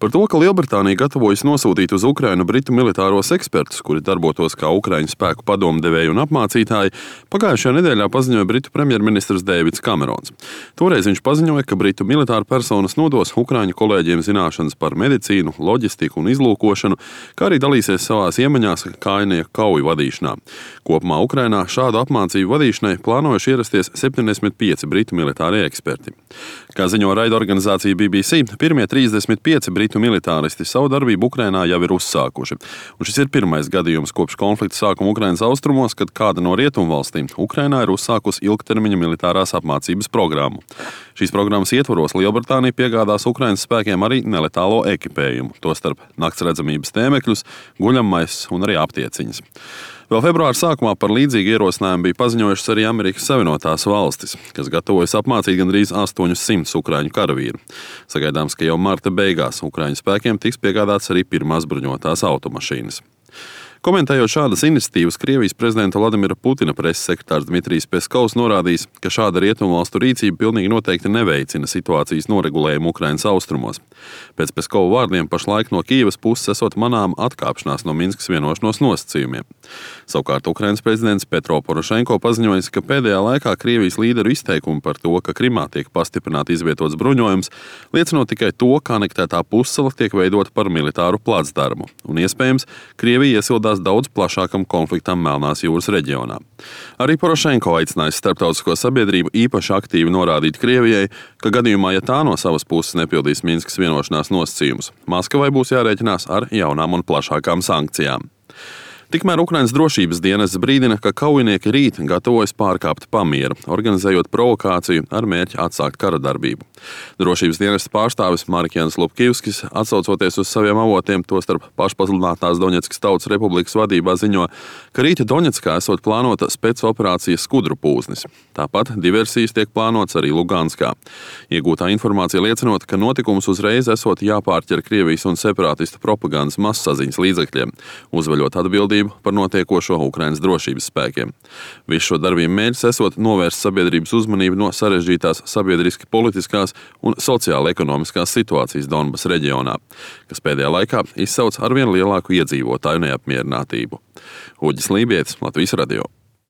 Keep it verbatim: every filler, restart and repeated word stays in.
Par to, ka Lielbritānija gatavojas nosūtīt uz Ukrainu britu militāros ekspertus, kuri darbotos kā Ukraiņu spēku padomdevēji un apmācītāji, pagājušajā nedēļā paziņoja britu premjerministrs Deivids Kamerons. Toreiz viņš paziņoja, ka britu militāra personas nodos Ukraiņu kolēģiem zināšanas par medicīnu, loģistiku un izlūkošanu, kā arī dalīsies savās iemaņās kājnieku kauju vadīšanā. Kopumā Ukrainā šādu apmācību vadīšanai plānojuši ierasties septiņdesmit pieci britu militārie eksperti. Kā ziņo raidorganizācija B B C, pirmie trīsdesmit pieci britu militāristi savu darbību Ukrainā jau ir uzsākuši. Un šis ir pirmais gadījums kopš konflikta sākuma Ukrainas austrumos, kad kāda no rietumvalstīm Ukrainā ir uzsākusi ilgtermiņa militārās apmācības programmu. Šīs programmas ietvaros Lielbritānija piegādās Ukrainas spēkiem arī neletālo ekipējumu, tostarp naktsredzamības tēmekļus, guļamais un arī aptieciņas. Vēl februāra sākumā par līdzīgu ierosinājumu bija paziņojušas arī Amerikas Savienotās valstis, kas gatavojas apmācīt gandrīz astoņus simtus ukraiņu karavīru. Sagaidāms, ka jau marta beigās Ukraiņu spēkiem tiks piegādāts arī pirmās bruņotās automašīnas. Komentējot šādas iniciatīvas, Krievijas prezidenta Vladimira Putina preses sekretārs Dmitrijs Peskovs norādījis, ka šāda rietumvalstu rīcība pilnīgi noteikti neveicina situācijas noregulējumu Ukrainas austrumos. Pēc Peskova vārdiem pašlaik no Kijevas puses esot manām atkāpšanās no Minskas vienošanos nosacījumiem. Savukārt Ukrainas prezidents Petro Porošenko paziņojis, ka pēdējā laikā Krievijas līderu izteikumi par to, ka Krimā tiek pastiprināti izvietots bruņojums, liecinot tikai to, ka anektētā pussala tiek veidota par militāru placdarmu. Un iespējams, Krievija iesildās daudz plašākam konfliktam Melnās jūras reģionā. Arī Porošenko aicinājis starptautisko sabiedrību īpaši aktīvi norādīt Krievijai, ka gadījumā, ja tā no savas puses nepildīs Minskas vienošanās nosacījumus, Maskavai būs jārēķinās ar jaunām un plašākām sankcijām. Tikmēr Ukrainas drošības dienests brīdina, ka kaujinieki rīt gatavojas pārkāpt pamieru, organizējot provokāciju ar mērķi atsākt kara darbību. Drošības dienesta pārstāvis Marikjans Lupkivskis, atsaucoties uz saviem avotiem, tostarp pašpasludinātās Doņetskas Tautas Republikas vadībā ziņo, ka rīta Doņetskā esot plānota spēcoperācija Skudru pūznis. Tāpat diversijas tiek plānots arī Luganskā. Iegūtā informācija liecinot, ka notikums uzreiz esot jāpārķer Krievijas un separātistu propagandas massaziņas līdzekļiem, uzveļot atbildību par notiekošo Ukrainas drošības spēkiem. Visu šo darbību mērķis esot novērst sabiedrības uzmanību no sarežģītās sabiedriski politiskās un sociāla-ekonomiskās situācijas Donbas reģionā, kas pēdējā laikā izsauc arvien lielāku iedzīvotāju neapmierinātību. Uģis Lībietis, Latvijas radio.